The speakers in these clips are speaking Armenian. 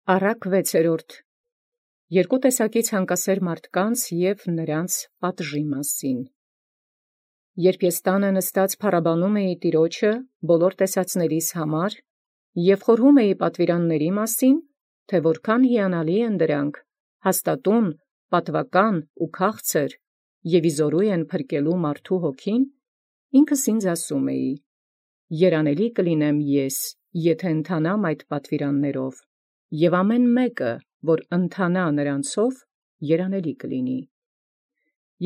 Առակ 6. Երկու տեսակի ցանկասեր մարդկանց և նրանց պատժի մասին։ Երբ ես տանը նստած փառաբանում էի Տեառնէ բոլոր տեսածներիս համար և խորհում էի պատվիրանացն մասին, թէ որքան հիանալի են դրանք, հաստատուն, պատուական ու քաղցր, և իզորու են փրկելու մարդու հոգին, ինքս ինձ ասում էի. երանելի կլինեմ ես, եթէ ընթանամ այդ պատվիրանացով, և ամեն մեկը, որ ընթանա նրանցով, երանելի կլինի։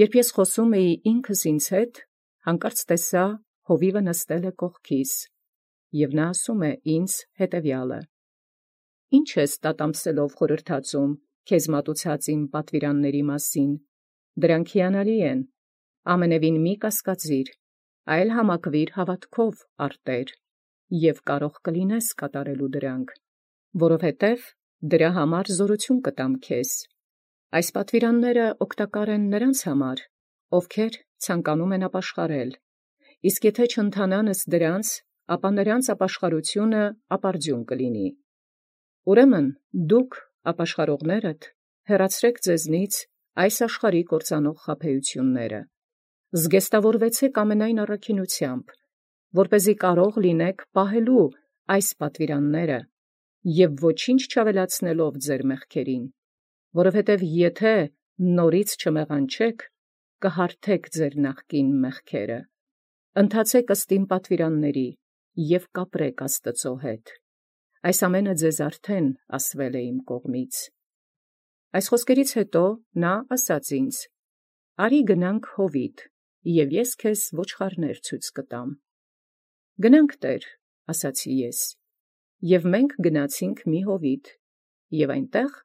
Երբ ես խոսում էի ինքս ինձ հետ, հանկարծ տեսայ հովիվը նստել է կողքիս, և նա ասում է ինձ հետևյալը. «Ի՞նչ ես տատամսելով խորհրդածում քեզ մատուցած իմ պատվիրանացն մասին. դրանք հիանալի են, ամենևին մի կասկածիր, այլ համակրիր հաւատովք առ Տէր, և կարող կլինես կատարել դրանք, որովհետև դրա համար զօրութիւն կտամ քեզ։ Այս պատվիրանացն օգտակար են նրանց համար, ովքեր ցանկանում են ապաշխարել, իսկ եթէ չընթանան ըստ դրանց, ապա նրանց ապաշխարութիւնն ապարդյուն կլինի։ Ուրեմն դուք ապաշխարողներդ, հեռացրէք ձեզնից այս աշխարհի կործանող խաբեութիւնները, զգեստավորվեցէք ամենայն առաքինութեամբ, որպէզի կարող լինիցեք պահել այս պատվիրանացն և ոչինչ չաւելացնելով ձեր մեղքերին, որովհետև եթէ նորից չմեղանչէք, կհարթեք ձեր նախկին մեղքերը։ Ընթացէք ըստ իմ պատվիրանացն և կապրեք Աստուծոյ հետ։ Այս ամենը ձեզ արդեն ասվել է իմ կողմից։ Այս խոսքերից յետո ասաց ինձ. «Արի գնանք Հովիտ, և ես քեզ ոչխարներ ցույց կտամ»։ «Գնանք, Տէր», ասացի ես, և մենք գնացինք մի Հովիտ, և այնտեղ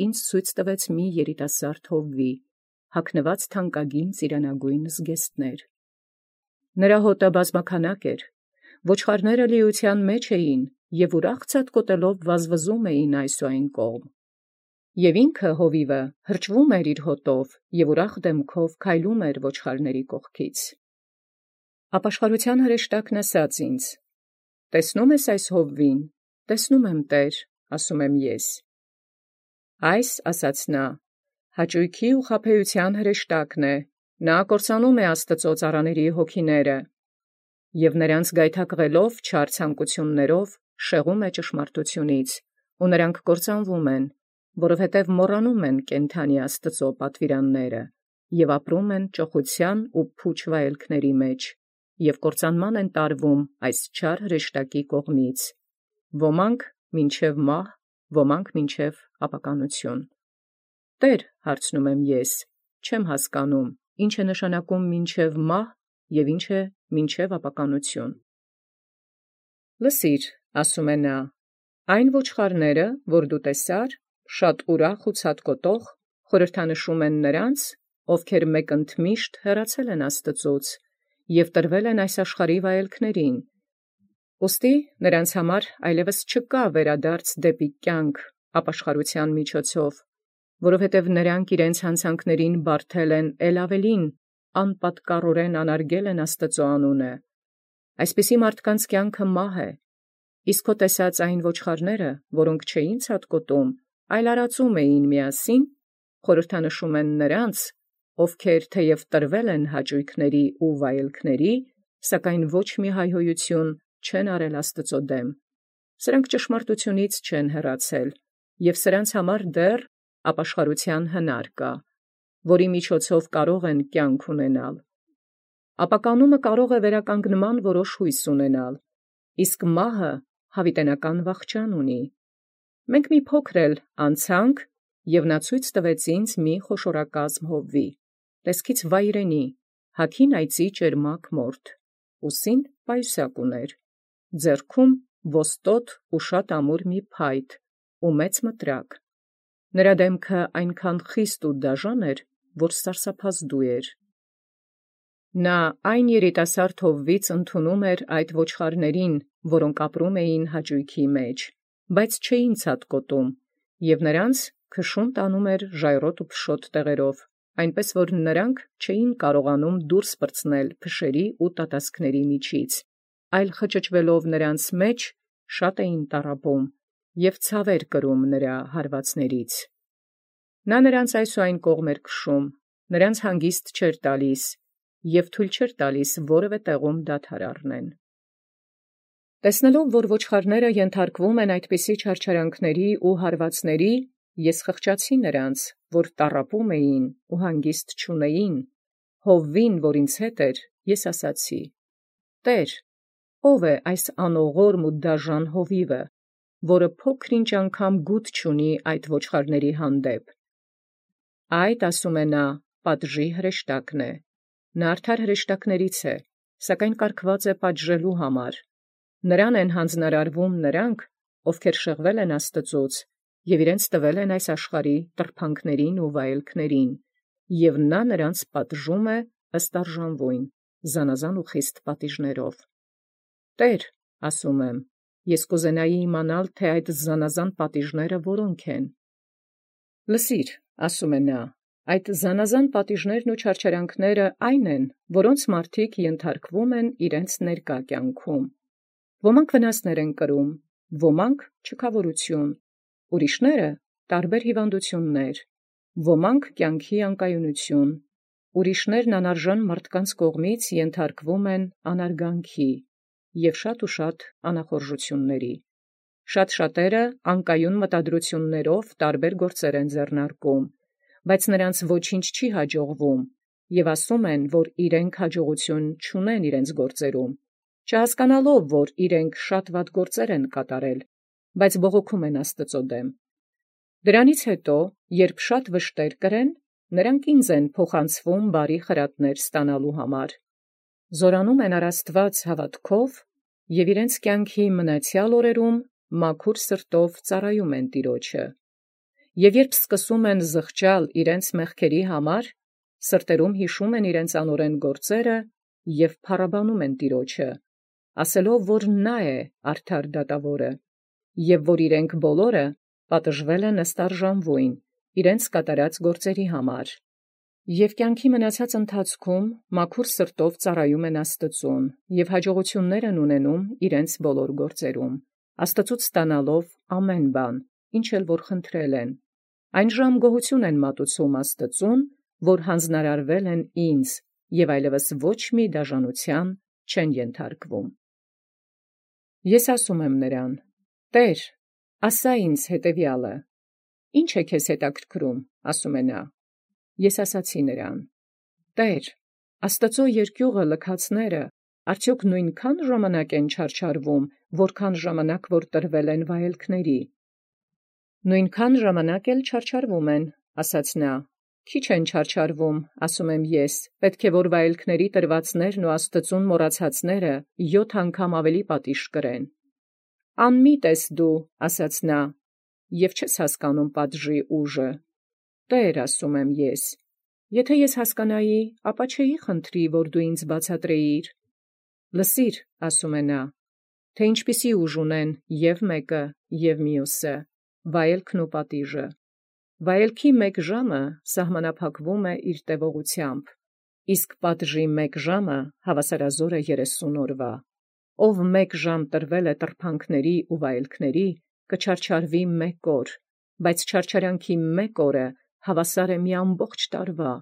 ինձ ցույց տվեց մի երիտասարդ հովվի, հագնված թանկագին ծիրանագոյն զգեստներ։ Նրա հոտը բազմաքանակ էր, ոչխարները լիության մեջ էին և ուրախ ցատկոտելով վազվզում էին այս ու այն կողմ։ Եւ ինքը հովիվը հրճվում էր իր հոտով և ուրախ դեմքով քայլում էր ոչխարների կողքից։ Ապաշխարութեան հրեշտակն ասաց ինձ. «Տեսնո՞ւմ ես այս հովվին»։ «Տեսնում եմ, Տէր», ասում եմ ես։ «Այս, ասաց նա, յաճոյքի ու խաբեութեան հրեշտակն է, կործանում է Աստուծոյ ծառաների հոգիները, և նրանց գայթակղելով չար ցանկութիւնացն շեղում է ճշմարտութիւնից, ու նրանք կործանվում են, որովհետև մոռանում են կենդանի Աստուծոյ պատվիրանացն և ապրում են ճոխութեան ու փուչ վայելքների մեջ, և կործանման են տարվում այս չար հրեշտակի կողմից, ոմանք մինչև մահ, ոմանք մինչև ապականութիւն»։ «Տէր», հարցնում եմ ես, չեմ հասկանում, ի՞նչ է նշանակում մինչև մահ և ի՞նչ է մինչև ապականութիւն։ «Լսիր», ասում է նա, «այն ոչխարները, որ դու տեսար, շատ ուրախ ու ցատկոտող, խորհրդանշում են նրանց, ովքեր մեկընդմիշտ հեռացել են Աստուծոյց և տրվել են այս աշխարհի վայելքներին. ուստի նրանց համար այլևս չկա վերադարձ դեպի կյանք ապաշխարութեան միջոցով, որովհետև նրանք իրենց յանցանքներին բարդել են առաւելին, անպատկառորեն անարգել են Աստուծոյ անունը։ Այսպիսի մարդկանց կյանքը մահ է, իսկ քո տեսած այն ոչխարները, որոնք չէին ցատկոտում, այլ արածում էին միասին, խորհրդանշում են նրանց, ովքեր թեև տրվել են յաճոյքների ու վայելքների, սակայն ոչ մի հայհոյութիւն չեն արել Աստուծոյ դեմ։ Սրանք ճշմարտութիւնից չեն հեռացել, և սրանց համար դեռ ապաշխարութեան հնար կա, որի միջոցով կարող են կյանք ունենալ։ Ապականումը կարող է վերականգնման որոշ հույս ունենալ, իսկ մահը յաւիտենական վախճան ունի։ Մենք մի փոքր էլ անցանք, և նա ցույց տվեց ինձ մի խոշորակազմ հովվի, տեսքից վայրենի, հագին այծի ճերմակ մորթ, ուսին պայուսակ ուներ, ձեռքում ոստոտ ու շատ ամուր մի փայտ ու մեծ մտրակ. նրա դեմքը այնչափ խիստ ու դաժան էր, որ սարսափազդու էր։ Նա այն երիտասարդ հովվից ընդունում էր այդ ոչխարներին, որոնք ապրում էին յաճոյքի մեջ, բայց չէին ցատկոտում, և նրանց քշում տանում էր ժայռոտ ու փշոտ տեղերով, այնպէս որ նրանք չէին կարողանում դուրս պրծնել փշերի ու տատասքների միջից, այլ խճճվելով նրանց մեջ, շատ էին տառապում և ցաւեր կրում նրա հարվածներից։ Նա նրանց այս ու այն կողմեր քշում, նրանց հանգիստ չէր տալիս, և թույլ չէր տալիս որևէ տեղում դադար առնեն։ Տեսնելով, որ ոչխարները ենթարկվում են այդպիսի չարչարանքների ու հարվածների, ես խղճացի նրանց, որ տառապում էին ու հանգիստ չունեին, Հովվին, որ ինձ հետ էր, ես ասացի. «Տեր, ո՞վ է այս անողորմ ու դաժան հովիվը, որը փոքր-ինչ անգամ գութ չունի այդ ոչխարների հանդեպ»։ Այդ, ասում է նա, պատժի հրեշտակն է. նա արդար հրեշտակներից է, սակայն կարգված է պատժելու համար։ Նրան են հանձնարարվում նրանք, ովքեր շեղվել են Աստծուց և իրենց տվել են այս աշխարհի տրփանքներին ու վայելքներին, և նա նրանց պատժում է ըստ արժանվոյն, զանազան ու խիստ պատիժներով։ Տեր, ասում եմ, ես կուզենայի իմանալ, թե այդ զանազան պատիժները որոնք են։ Լսիր, ասում է նա, այդ զանազան պատիժներն ու չարչարանքները այն են, որոնց մարդիկ ենթարկվում են իրենց ներկա կյանքում։ Ոմանք վնասներ են կրում, ոմանք չքավորություն, ուրիշները տարբեր հիվանդություններ, ոմանք կյանքի անկայունություն, ուրիշներն անարժան մարդկանց կողմից ենթարկվում են անարգանքի և շատ անախորժությունների։ Շատ-շատերը անկայուն մտադրություններով տարբեր գործեր են ձեռնարկում, բայց նրանց ոչինչ չի հաջողվում, և ասում են, որ իրենք հաջողություն չունեն իրենց գործերում, չհասկանալով, որ իրենք շատ վատ գործեր են կատարել, բայց բողոքում են Աստծո դեմ։ Դրանից հետո, երբ շատ վշտեր կրեն, նրանք ինձ են փոխանցվում բարի խրատներ ստանալու համար։ Զորանում են առ Աստված հավատքով և իրենց կյանքի մնացյալ օրերում մաքուր սրտով ծառայում են Տիրոջը։ Եվ երբ սկսում են զղջալ իրենց մեղքերի համար, սրտերում հիշում են իրենց անօրեն գործերը և փառաբանում են Տիրոջը, ասելով, որ նա է արդար դատավորը, և որ իրենք բոլորը պատժվել են ըստ արժանվոյն իրենց կատարած գործերի համար։ Եվ կյանքի մնացած ընթացքում մաքուր սրտով ծառայում են Աստծուն և հաջողություններ են ունենում իրենց բոլոր գործերում, Աստծուց ստանալով ամեն բան, ինչ էլ որ խնդրել են, այն ժամ գոհություն են մատուցում Աստծուն, որ հանձնարարվել են ինձ և այլևս ոչ մի դաժանության չեն ենթարկվում։ Ես ասում եմ նրան. «Տեր, ասա ինձ հետևյալը. ի՞նչ է քեզ հետաքրքրում», ասում է նա։ Ես ասացի նրան. «Տեր, Աստծո երկյուղը լքածները արդյոք նույնքան ժամանակ են չարչարվում, որքան ժամանակ որ տրվել են վայելքների։ Նույնքան ժամանակ էլ չարչարվում են, ասաց նա։ Քիչ են չարչարվում, ասում եմ ես, պետք է որ վայելքների տրվածներն ու Աստծուն մոռացածները 7 անգամ ավելի պատիժ կրեն։ Անմիտ ես դու, ասաց նա, և չես հասկանում պատժի ուժը։ Տեր, ասում եմ ես, եթե ես հասկանայի, ապա չէի խնդրի, որ դու ինձ բացատրեիր։ Լսիր, ասում է նա, թե ինչպիսի ուժ ունեն և մեկը, և մյուսը, վայելքն ու պատիժը։ Վայելքի մեկ ժամը սահմանափակվում է իր տևողությամբ, իսկ պատժի մեկ ժամը հավասարազոր է 30 օրվա։ Ով մեկ ժամ տրվել է տրփանքների ու վայելքների, կչարչարվի մեկ օր, բայց չարչարանքի մեկ օրը հավասար է մի ամբողջ տարվա։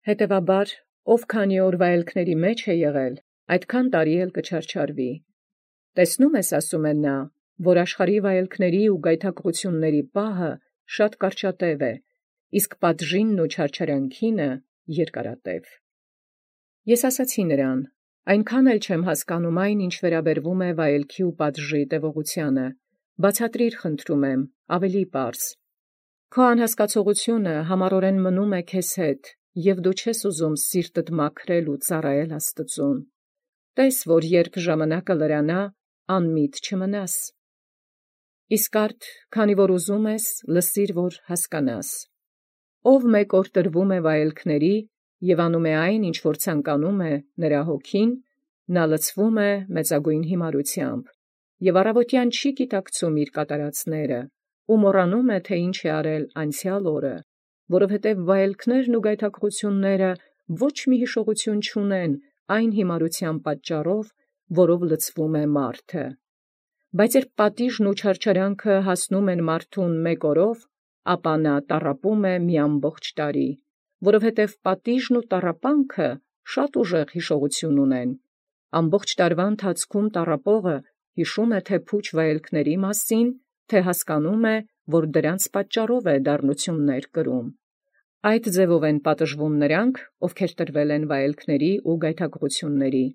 Հետևաբար, ով քանի օր վայելքների մեջ է եղել, այդքան տարի էլ կչարչարվի։ Տեսնում ես, ասում է նա, որ աշխարհի վայելքների ու գայթակղությունների պահը շատ կարճատև է, իսկ պատժինն ու չարչարանքինը երկարատև։ Ես ասացի նրան. այնքան էլ չեմ հասկանում այն, ինչ վերաբերվում է վայելքի ու պատժի տևողությանը, բացատրիր խնդրում եմ, ավելի պարզ։ Քո անհասկացողությունը համառորեն մնում է քեզ հետ, և դու չես ուզում սիրտդ մաքրել ու ծառայել Աստծուն։ Տես, որ երբ ժամանակը լրանա, անմիտ չմնաս։ Իսկ արդ, քանի որ ուզում ես, լսիր, որ հասկանաս։ Ով մեկ օր տրվում է վայելքների և անում է այն, ինչ որ ցանկանում է նրա հոգին, նա լցվում է մեծագույն հիմարությամբ, և առավոտյան չի գիտակցում իր կատարածները, ու մոռանում է, թե ինչ է արել անցյալ օրը, որովհետև վայելքներն ու գայթակղությունները ոչ մի հիշողություն չունեն այն հիմարության պատճառով, որով լցվում է մարդը։ Բայց երբ պատիժն ու չարչարանքը հասնում են մարդուն մեկ օրով, ապա նա տառապում է մի ամբողջ տարի, որովհետև պատիժն ու տառապանքը շատ ուժեղ հիշողություն ունեն։ Ամբողջ տարվա ընթացքում տառապողը հիշում է թե փուչ վայելքների մասին, թե հասկանում է, որ դրանց պատճառով է դառնություններ կրում։ Այդ ձևով են պատժվում նրանք, ովքեր տրվել են վայելքների ու գայթակղությունների,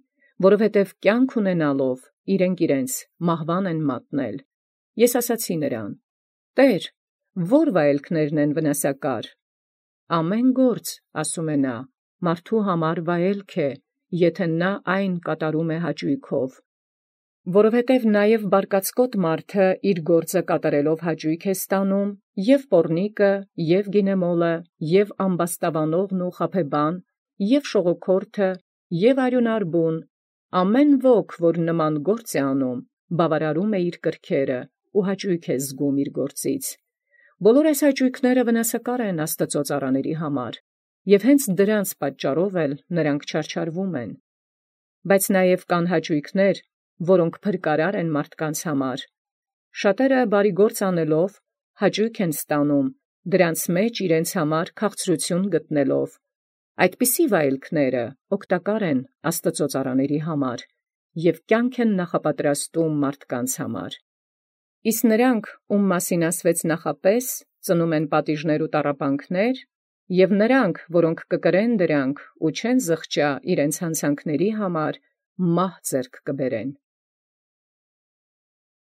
որովհետև կյանք ունենալով իրենց մահվան են մատնել։ Ես ասացի նրան. «Տեր, ո՞ր վայելքներն են վնասակար»։ «Ամեն գործ, ասում է նա, մարդու համար վայելք է, եթե նա այն կատարում է հաճույքով։ Որովհետև նաև բարկացկոտ մարդը իր գործը կատարելով հաճույք է ստանում, և պոռնիկը, և գինեմոլը, և ամբաստավանողն ու խաբեբան, և շողոքորթը, և արյունարբուն, ամեն ոք, որ նման գործ է անում, բավարարում է իր կրքերը ու հաճույք է զգում իր գործից։ Բոլոր այս հաճույքները վնասակար են Աստծո ծառաների համար, և հենց դրանց պատճառով էլ նրանք չարչարվում են։ Բայց նաև կան հաճույքներ, որոնք փրկարար են մարդկանց համար։ Շատերը բարի գործ անելով հաճույք են ստանում, դրանց մեջ իրենց համար քաղցրություն գտնելով։ Այդպիսի վայելքները օգտակար են Աստծո ծառաների համար և կյանք են նախապատրաստում մարդկանց համար։ Իսկ նրանք, ում մասին ասվեց նախապես, ծնում են պատիժներ ու տառապանքներ, և նրանք, որոնք կկրեն դրանք ու չեն զղջա իրենց հանցանքների համար, մահ ձեռք կբերեն։